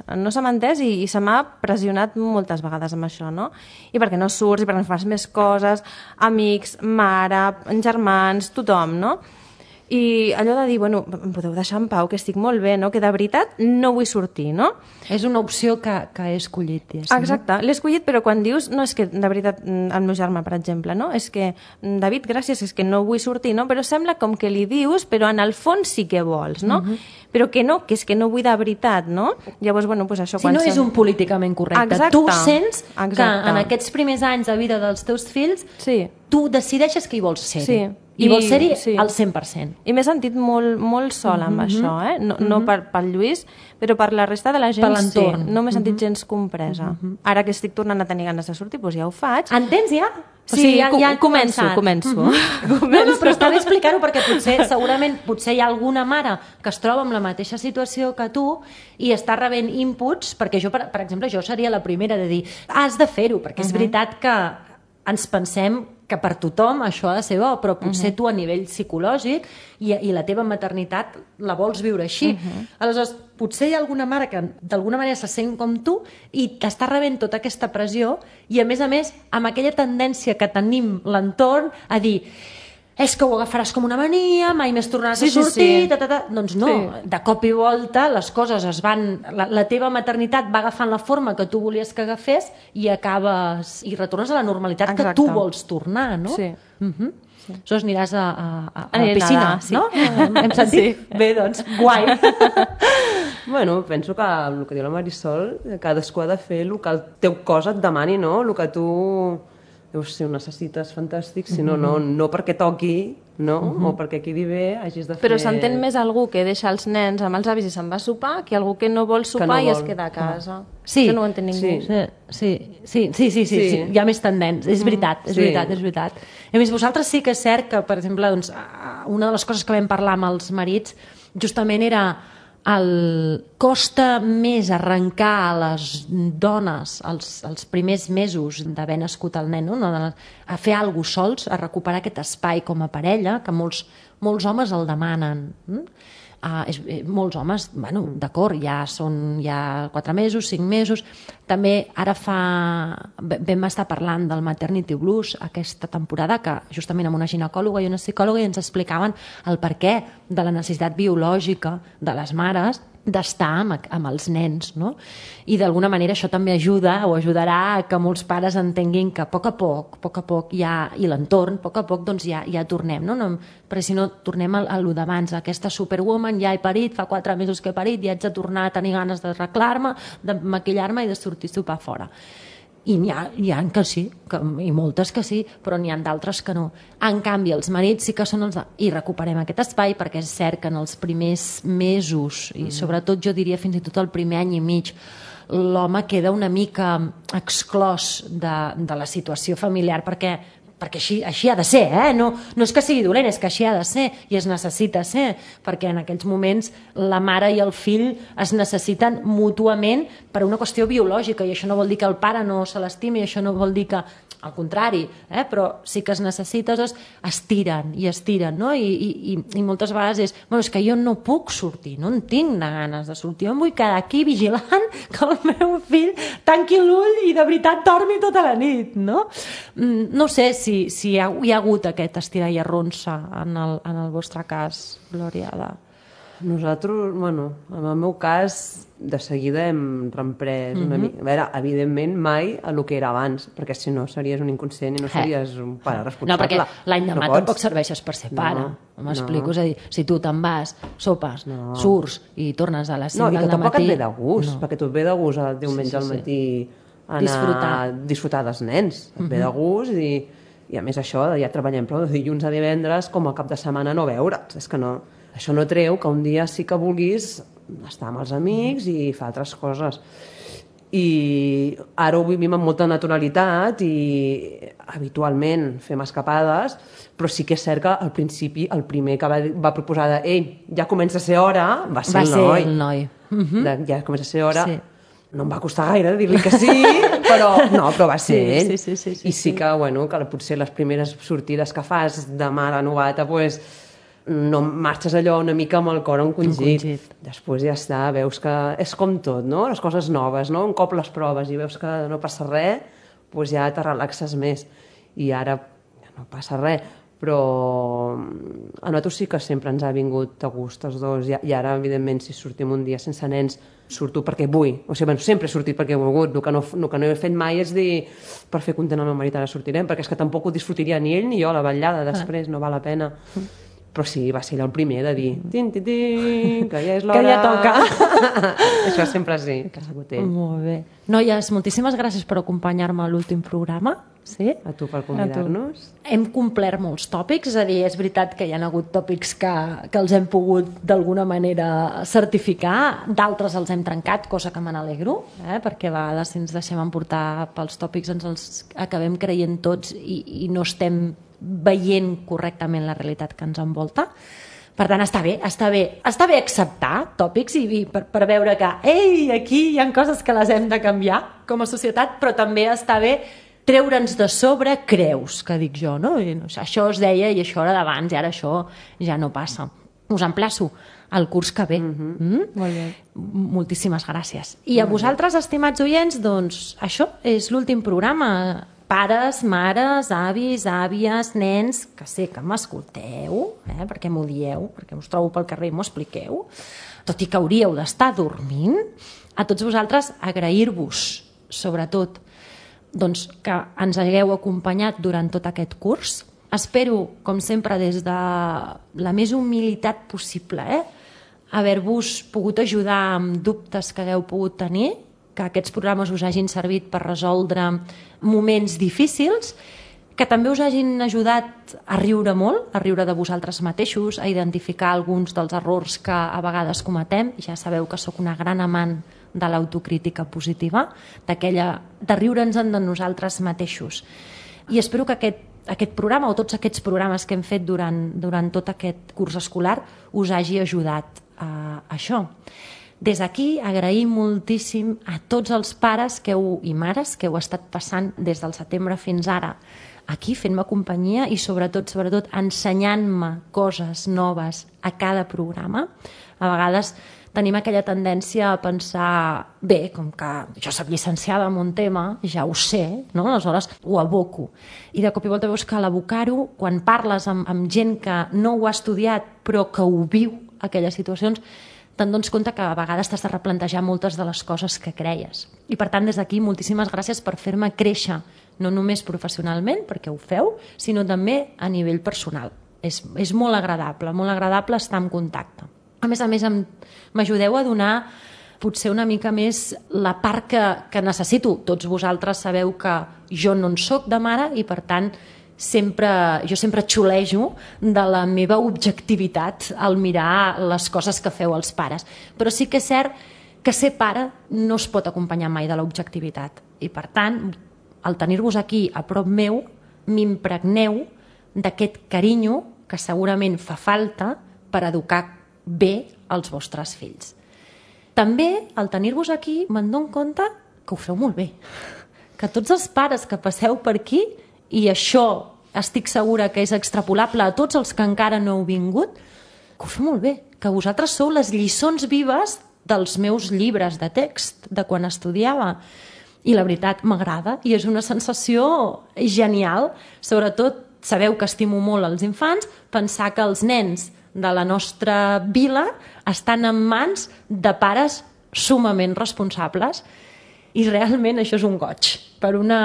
D: i se m'ha pressionat moltes vegades amb això, no? I perquè no surts, i perquè no fas més coses, amics, mare, germans, tothom, no? I allò de dir, bueno, em podeu deixar en pau, que estic molt bé, no? Que de veritat no vull sortir, no?
B: És una opció que he escollit. Ja,
D: exacte, l'he escollit, però quan dius, no és que de veritat, el meu germà, per exemple, no? És que, David, gràcies, és que no vull sortir, no? Però sembla com que li dius, però en el fons sí que vols, no? Però que no, que és que no vull de veritat, no? Llavors, bueno, doncs això...
B: Si no és un políticament correcte.
D: Exacte.
B: Tu sents que
D: Exacte.
B: en aquests primers anys de vida dels teus fills,
D: sí.
B: Tu decideixes que hi vols ser-hi.
D: Sí.
B: I vols ser-hi
D: sí.
B: al 100%.
D: I m'he sentit molt sola amb això, no pel Lluís, però per la resta de la gent
B: per l'entorn.
D: Sí. No m'he sentit gens compresa. Ara que estic tornant a tenir ganes de sortir, doncs ja ho faig.
B: Entens ja?
D: Sí, o sigui, ja començo.
B: No, però està bé explicar-ho perquè segurament hi ha alguna mare que es troba amb la mateixa situació que tu i està rebent inputs, perquè jo, per exemple, jo seria la primera de dir has de fer-ho, perquè és veritat que ens pensem que per tothom això ha de ser bo, però potser tu a nivell psicològic i la teva maternitat la vols viure així. Aleshores, potser hi ha alguna mare que d'alguna manera se sent com tu i t'està rebent tota aquesta pressió i a més, amb aquella tendència que tenim l'entorn a dir és que ho agafaràs com una mania, mai més tornaràs a sortir, doncs no, de cop i volta les coses es van... La teva maternitat va agafant la forma que tu volies que agafés i acabes... i retornes a la normalitat que tu vols tornar, no?
D: Sí.
B: Aleshores aniràs a la piscina, no? Hem sentit?
D: Sí.
B: Bé, doncs, guai.
C: Bueno, penso que el que diu la Marisol, cadascú ha de fer el que el teu cos et demani, no? El que tu... si ho necessites, fantàstic, si no, no perquè toqui, no? O perquè quedi bé, hagis de fer...
D: Però s'entén més algú que deixa els nens amb els avis i se'n va a sopar que algú que no vol sopar i es queda a casa.
B: Sí.
D: Això no ho entén ningú.
B: Sí. Hi ha més tendents. És veritat. A més, vosaltres sí que és cert que, per exemple, doncs, una de les coses que vam parlar amb els marits justament era costa més arrencar a les dones els primers mesos d'haver nascut el nen, no? A fer alguna cosa sols, a recuperar aquest espai com a parella, que molts homes el demanen. Molts homes, bueno, d'acord, ja són 4 mesos, 5 mesos. També ara vam estar parlant del Maternity Blues aquesta temporada, que justament amb una ginecòloga i una psicòloga ens explicaven el perquè de la necessitat biològica de les mares d'estar amb els nens, no? I d'alguna manera això també ajuda o ajudarà a que molts pares entenguin que a poc a poc ja, i l'entorn, a poc doncs ja tornem, no? Perquè si no tornem a lo d'abans, aquesta superwoman, ja he parit, fa 4 mesos que he parit, ja haig de tornar a tenir ganes d'arreglar-me, de maquillar-me i de sortir a sopar fora. I n'hi ha que sí, i moltes que sí, però n'hi ha d'altres que no. En canvi, els marits sí que són els de... I recuperem aquest espai, perquè és cert que en els primers mesos, i sobretot jo diria fins i tot el primer any i mig, l'home queda una mica exclòs de la situació familiar, perquè així ha de ser, no és que sigui dolent, és que així ha de ser i es necessita ser, perquè en aquells moments la mare i el fill es necessiten mútuament per una qüestió biològica, i això no vol dir que el pare no se l'estimi, això no vol dir que al contrari, però sí que es necessita, doncs estiren, no? I moltes vegades és que jo no puc sortir, no en tinc de ganes de sortir, jo em vull quedar aquí vigilant que el meu fill tanqui l'ull i de veritat dormi tota la nit, no? No sé si hi ha hagut aquest estirar i arronsa en el vostre cas, Glòria.
C: Nosaltres, bueno, en el meu cas, de seguida hem reemprès una mica. A veure, evidentment, mai a lo que era abans, perquè si no series un inconscient i no series un pare responsable.
B: No, perquè l'any demà tampoc serveixes per ser pare. M'explico, és a dir, si tu te'n vas, sopes, surts i tornes a les 5 del matí...
C: No, i que tampoc et ve de gust, perquè tu et ve de gust el diumenge al matí anar a disfrutar dels nens. Et ve de gust i a més això, ja treballem prou de dilluns a divendres com a cap de setmana no veure'ls. És que no, això no treu que un dia sí que vulguis estar amb els amics i fer altres coses. I ara ho vivim amb molta naturalitat i habitualment fem escapades, però sí que és cert que al principi el primer que va proposar de ei, ja comença a ser hora, va ser el noi. Ja comença a ser hora. Sí. No em va costar gaire dir-li que sí, però va ser ell. I sí que, bueno, que potser les primeres sortides que fas de mare novata, pues, no marxes allò una mica amb el cor encongit. Després ja està, veus que és com tot, no? Les coses noves, no? Un cop les proves i veus que no passa res, pues ja te relaxes més. I ara ja no passa res, però a nosaltres sí que sempre ens ha vingut a gust els dos. I ara, evidentment, si sortim un dia sense nens, surto perquè vull. O sigui, bueno, sempre he sortit perquè he volgut. El que no he fet mai és dir per fer content el meu marit ara sortirem, perquè és que tampoc ho disfrutiria ni ell ni jo, la vetllada després, no val la pena. Però sí, va ser ell el primer de dir que ja és l'hora.
B: Que ja toca.
C: Això sempre sí, que ha sigut ell.
B: Molt bé. Noies, moltíssimes gràcies per acompanyar-me a l'últim programa. Sí?
C: A tu per convidar-nos.
B: Hem complert molts tòpics, és a dir, és veritat que hi ha hagut tòpics que els hem pogut d'alguna manera certificar, d'altres els hem trencat, cosa que me n'alegro, perquè a vegades si ens deixem emportar pels tòpics ens els acabem creient tots i no estem veient correctament la realitat que ens envolta. Per tant, està bé acceptar tòpics i per veure que aquí hi ha coses que les hem de canviar com a societat, però també està bé treure'ns de sobre creus, que dic jo, no? Això es deia i això era d'abans i ara això ja no passa. Us emplaço al curs que ve.
D: Molt bé.
B: Moltíssimes gràcies. I a vosaltres, estimats oients, doncs això és l'últim programa. Pares, mares, avis, àvies, nens, que sé que m'escolteu, perquè m'ho dieu, perquè us trobo pel carrer i m'ho expliqueu, tot i que hauríeu d'estar dormint, a tots vosaltres agrair-vos, sobretot, doncs, que ens hagueu acompanyat durant tot aquest curs. Espero, com sempre, des de la més humilitat possible, haver-vos pogut ajudar amb dubtes que hagueu pogut tenir, que aquests programes us hagin servit per resoldre moments difícils, que també us hagin ajudat a riure molt, a riure de vosaltres mateixos, a identificar alguns dels errors que a vegades cometem. Ja sabeu que sóc una gran amant de l'autocrítica positiva, de riure'ns de nosaltres mateixos. I espero que aquest programa o tots aquests programes que hem fet durant tot aquest curs escolar us hagi ajudat a això. Des d'aquí agraïm moltíssim a tots els pares i mares que heu estat passant des del setembre fins ara aquí fent-me companyia i sobretot ensenyant-me coses noves a cada programa. A vegades tenim aquella tendència a pensar bé, com que jo soc llicenciada en un tema, ja ho sé, no? Aleshores ho aboco. I de cop i volta veus que l'abocar-ho, quan parles amb gent que no ho ha estudiat però que ho viu, aquelles situacions, te'n dones compte que a vegades t'has de replantejar moltes de les coses que creies. I per tant, des d'aquí, moltíssimes gràcies per fer-me créixer, no només professionalment, perquè ho feu, sinó també a nivell personal. És molt agradable estar en contacte. A més, m'ajudeu a donar potser una mica més la part que necessito. Tots vosaltres sabeu que jo no en soc de mare i, per tant, jo sempre xulejo de la meva objectivitat al mirar les coses que feu els pares. Però sí que és cert que ser pare no es pot acompanyar mai de l'objectivitat. I, per tant, al tenir-vos aquí a prop meu, m'impregneu d'aquest carinyo que segurament fa falta per educar bé els vostres fills. També, al tenir-vos aquí, me'n dono compte que ho feu molt bé. Que tots els pares que passeu per aquí, i això estic segura que és extrapolable a tots els que encara no heu vingut, que ho feu molt bé, que vosaltres sou les lliçons vives dels meus llibres de text, de quan estudiava. I la veritat, m'agrada, i és una sensació genial. Sobretot, sabeu que estimo molt els infants, pensar que els nens de la nostra vila estan en mans de pares sumament responsables i realment això és un goig per una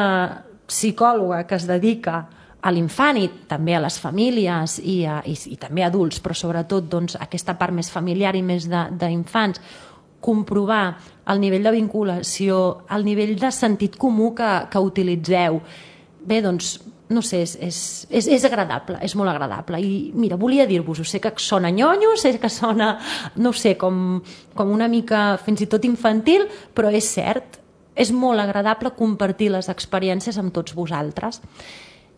B: psicòloga que es dedica a l'infant i també a les famílies i també a adults, però sobretot doncs, aquesta part més familiar i més d'infants, comprovar el nivell de vinculació, el nivell de sentit comú que utilitzeu. Bé, doncs, no sé, és agradable, és molt agradable. I mira, volia dir-vos-ho, sé que sona nyonyo, sé que sona, no sé, com una mica fins i tot infantil, però és cert, és molt agradable compartir les experiències amb tots vosaltres.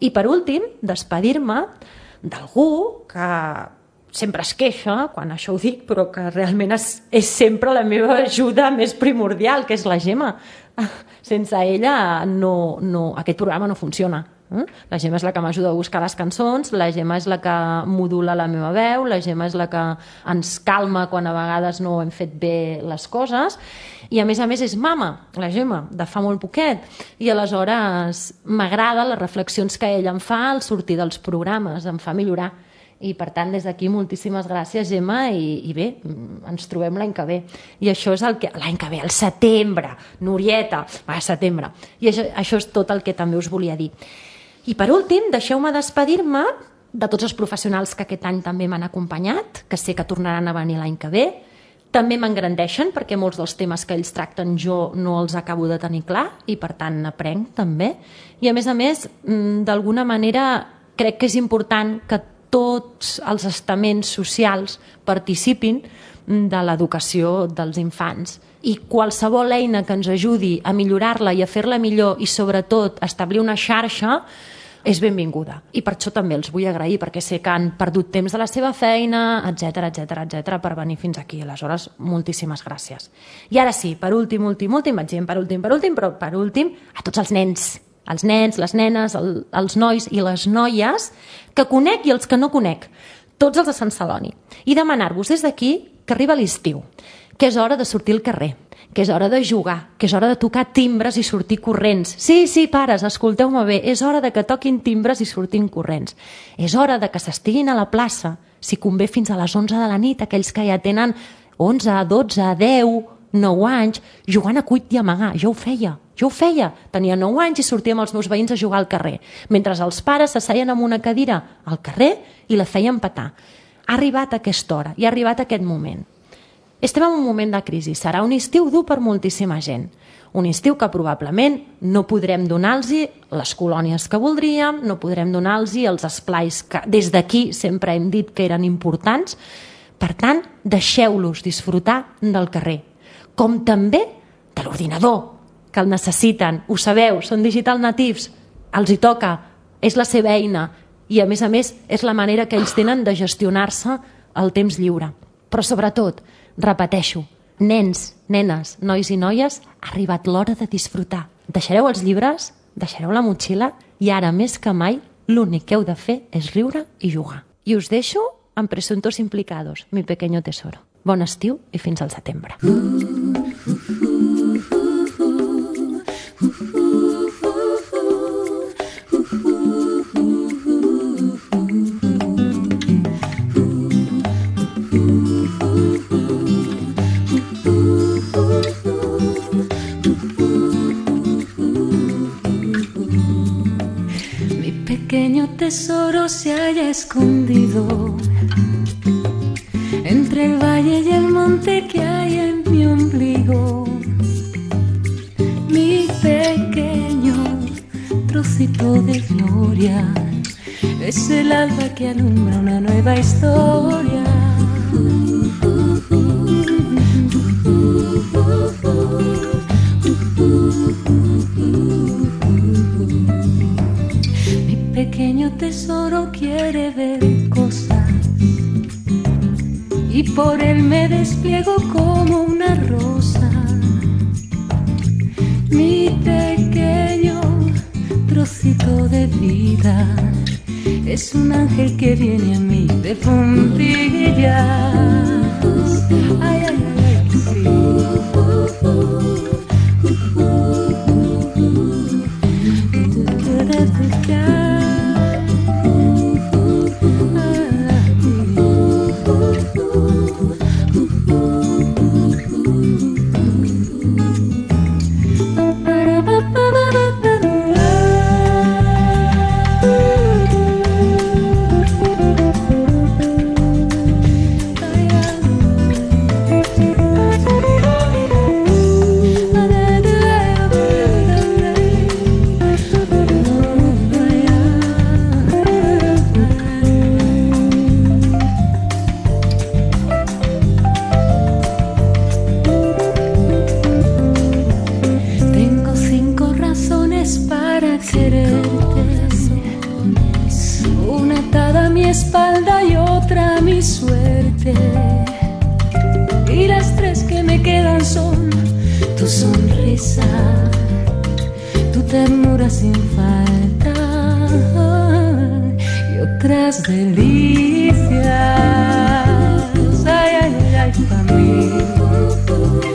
B: I per últim, despedir-me d'algú que sempre es queixa, quan això ho dic, però que realment és sempre la meva ajuda més primordial, que és la Gemma. Sense ella aquest programa no funciona. La Gemma és la que m'ajuda a buscar les cançons, la Gemma és la que modula la meva veu, la Gemma és la que ens calma quan a vegades no hem fet bé les coses, i a més és mama, la Gemma, de fa molt poquet, i aleshores m'agrada les reflexions que ella em fa al sortir dels programes, em fa millorar. I per tant, des d'aquí, moltíssimes gràcies, Gemma, i bé, ens trobem l'any que ve. I això és l'any que ve, el setembre, Norieta, setembre. I això és tot el que també us volia dir. I per últim, deixeu-me despedir-me de tots els professionals que aquest any també m'han acompanyat, que sé que tornaran a venir l'any que ve. També m'engrandeixen perquè molts dels temes que ells tracten jo no els acabo de tenir clar i per tant n'aprenc també. I a més, d'alguna manera crec que és important que tots els estaments socials participin de l'educació dels infants. I qualsevol eina que ens ajudi a millorar-la i a fer-la millor i sobretot a establir una xarxa és benvinguda. I per això també els vull agrair, perquè sé que han perdut temps de la seva feina, etc per venir fins aquí. Aleshores, moltíssimes gràcies. I ara sí, per últim, vaig dient però per últim, a tots els nens, les nenes, els nois i les noies que conec i els que no conec, tots els de Sant Celoni. I demanar-vos des d'aquí que arriba l'estiu, que és hora de sortir al carrer, que és hora de jugar, que és hora de tocar timbres i sortir corrents. Sí, pares, escolteu-me bé, és hora de que toquin timbres i sortin corrents. És hora de que s'estiguin a la plaça, si convé fins a les 11 de la nit, aquells que ja tenen 11, 12, 10, 9 anys, jugant a cuit i amagar. Jo ho feia. Tenia 9 anys i sortia amb els meus veïns a jugar al carrer, mentre els pares s'asseien en una cadira al carrer i la feien petar. Ha arribat aquesta hora i ha arribat aquest moment. Estem en un moment de crisi. Serà un estiu dur per moltíssima gent. Un estiu que probablement no podrem donar-los les colònies que voldríem, no podrem donar-los els esplais que des d'aquí sempre hem dit que eren importants. Per tant, deixeu-los disfrutar del carrer. Com també de l'ordinador, que el necessiten. Ho sabeu, són digital natives, els hi toca, és la seva eina i a més és la manera que ells tenen de gestionar-se el temps lliure. Però sobretot, repeteixo, nens, nenes, nois i noies, ha arribat l'hora de disfrutar. Deixareu els llibres, deixareu la motxilla i ara més que mai l'únic que heu de fer és riure i jugar. I us deixo amb Presuntos Implicados, mi pequeño tesoro. Bon estiu i fins al setembre.
E: Mi pequeño tesoro se halla escondido entre el valle y el monte que hay en mi ombligo. Mi pequeño trocito de gloria es el alba que alumbra una nueva historia. Mi pequeño tesoro quiere ver cosas y por él me despliego como una rosa. Mi pequeño trocito de vida es un ángel que viene a mí de puntillas. Ay, ay, ay, sí. 20 y las 3 que me quedan son tu sonrisa, tu ternura sin falta y otras delicias. Ay, ay, ay, pa' mí.